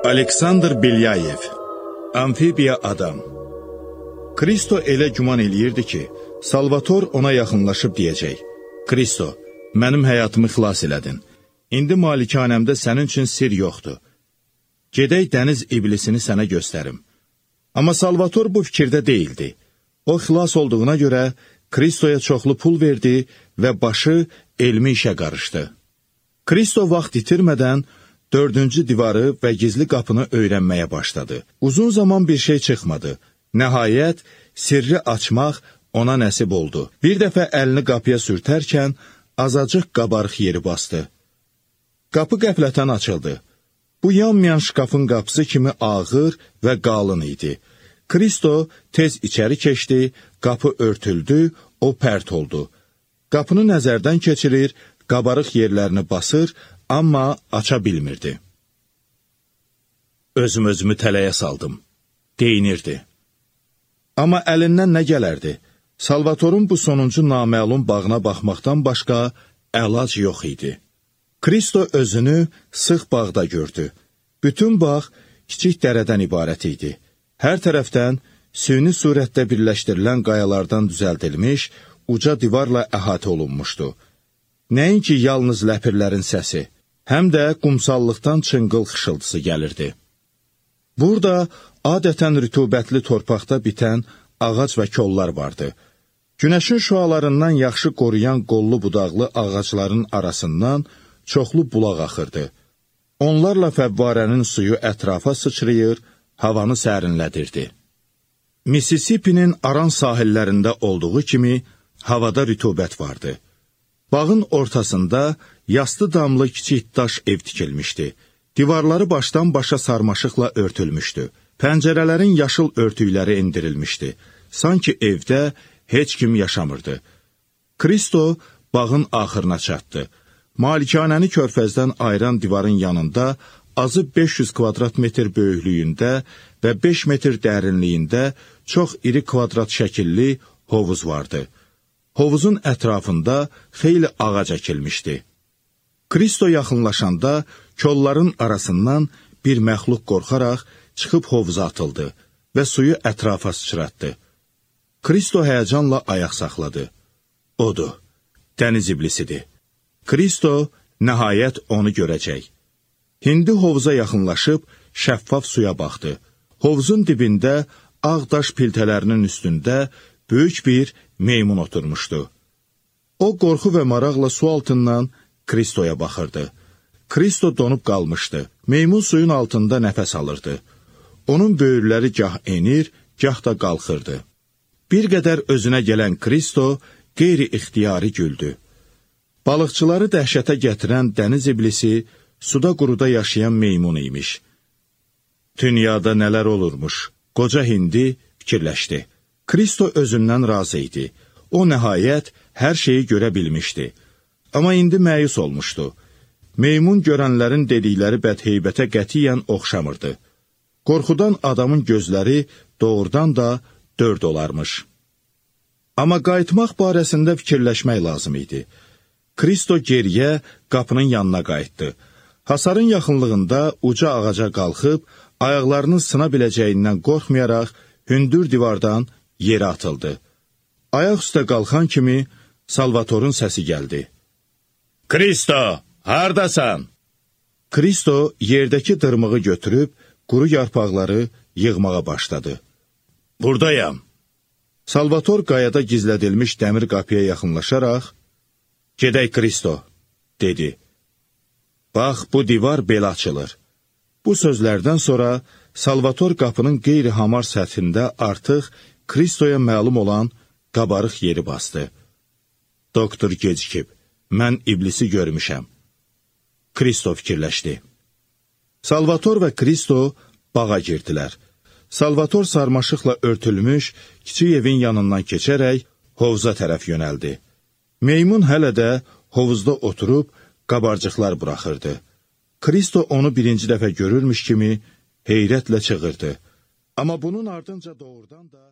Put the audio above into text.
Aleksandr Belyayev, Amfibiya adam. Kristo elə güman eləyirdi ki, Salvator ona yaxınlaşıb deyəcək: Kristo, mənim həyatımı xilas elədin. İndi malikanəmdə sənin üçün sir yoxdur. Gedək dəniz iblisini sənə göstərim. Amma Salvator bu fikirdə deyildi. O xilas olduğuna görə Kristoya çoxlu pul verdi və başı elmi işə qarışdı. Kristo vaxt itirmədən 4-cü divarı və gizli qapını öyrənməyə başladı. Uzun zaman bir şey çıxmadı. Nəhayət, sirri açmaq ona nəsib oldu. Bir dəfə əlini qapıya sürtərkən, azacıq qabarıq yeri bastı. Qapı qəflətən açıldı. Bu yanmayan şkafın qapısı kimi ağır və qalın idi. Kristo tez içəri keçdi, qapı örtüldü, o pərt oldu. Qapını nəzərdən keçirir, qabarıq yerlərini basır, amma aça bilmirdi. Özümü tələyə saldım, deyinirdi. Amma əlindən nə gələrdi? Salvatorun bu sonuncu naməlum bağına baxmaqdan başqa əlac yox idi. Kristo özünü sıx bağda gördü. Bütün bağ kiçik dərədən ibarət idi. Hər tərəfdən süni surətdə birləşdirilən qayalardan düzəldilmiş, uca divarla əhatə olunmuşdu. Nəinki yalnız ləpirlərin səsi, həm də qumsallıqdan çınqıl xışıltısı gəlirdi. Burada adətən rütubətli torpaqda bitən ağac və kollar vardı. Günəşin şüalarından yaxşı qoruyan qollu budaqlı ağacların arasından çoxlu bulaq axırdı. Onlarla fəvvarənin suyu ətrafa sıçrayır, havanı sərinlədirdi. Mississippi'nin aran sahillərində olduğu kimi havada rütubət vardı. Bağın ortasında yastı damlı kiçik daş ev tikilmişdi. Divarları başdan başa sarmaşıqla örtülmüşdü. Pəncərələrin yaşıl örtükləri endirilmişdi. Sanki evdə heç kim yaşamırdı. Kristo bağın axırına çatdı. Malikanəni körfəzdən ayıran divarın yanında azı 500 kvadrat metr böyüklüyündə və 5 metr dərinliyində çox iri kvadrat şəkilli hovuz vardı. Hovuzun ətrafında xeyli ağac əkilmişdi. Kristo yaxınlaşanda kolların arasından bir məxluq qorxaraq çıxıb hovuza atıldı və suyu ətrafa sıçratdı. Kristo həyəcanla ayaq saxladı. Odur, dəniz iblisidir. Kristo nəhayət onu görəcək. Hindi hovuza yaxınlaşıb şəffaf suya baxdı. Hovuzun dibində ağ daş piltələrinin üstündə böyük bir meymun oturmuşdu. O qorxu və maraqla su altından Kristoya baxırdı. Kristo donub qalmışdı. Meymun suyun altında nəfəs alırdı. Onun böyürləri gah enir, gah da qalxırdı. Bir qədər özünə gələn Kristo qeyri-ixtiyari güldü. Balıqçıları dəhşətə gətirən dəniz iblisi suda quruda yaşayan meymun imiş. Dünyada nələr olurmuş, qoca hindi fikirləşdi. Kristo özündən razı idi. O nəhayət hər şeyi görə bilmişdi. Amma indi məyus olmuşdu. Meymun görənlərin dedikləri bədheybətə qətiyyən oxşamırdı. Qorxudan adamın gözləri doğrudan da dörd olarmış. Amma qayıtmaq barəsində fikirləşmək lazım idi. Kristo geriyə qapının yanına qayıtdı. Hasarın yaxınlığında uca ağaca qalxıb, ayaqlarının sına biləcəyindən qorxmayaraq hündür divardan yerə atıldı. Ayaq üstə qalxan kimi Salvatorun səsi gəldi. Kristo, hardasan? Kristo yerdəki dırmığı götürüb, quru yarpaqları yığmağa başladı. Buradayam. Salvator qayada gizlədilmiş dəmir qapıya yaxınlaşaraq, gedək Kristo, dedi. Bax, bu divar belə açılır. Bu sözlərdən sonra Salvator qapının qeyri-hamar səthində artıq Kristoya məlum olan qabarıq yeri bastı. Doktor gecikib, mən iblisi görmüşəm. Kristo fikirləşdi. Salvator və Kristo bağa girdilər. Salvator sarmaşıqla örtülmüş kiçik evin yanından keçərək hovuza tərəf yönəldi. Meymun hələ də hovuzda oturub qabarcıqlar buraxırdı. Kristo onu birinci dəfə görürmüş kimi heyrətlə çığırdı. Amma bunun ardınca doğrudan da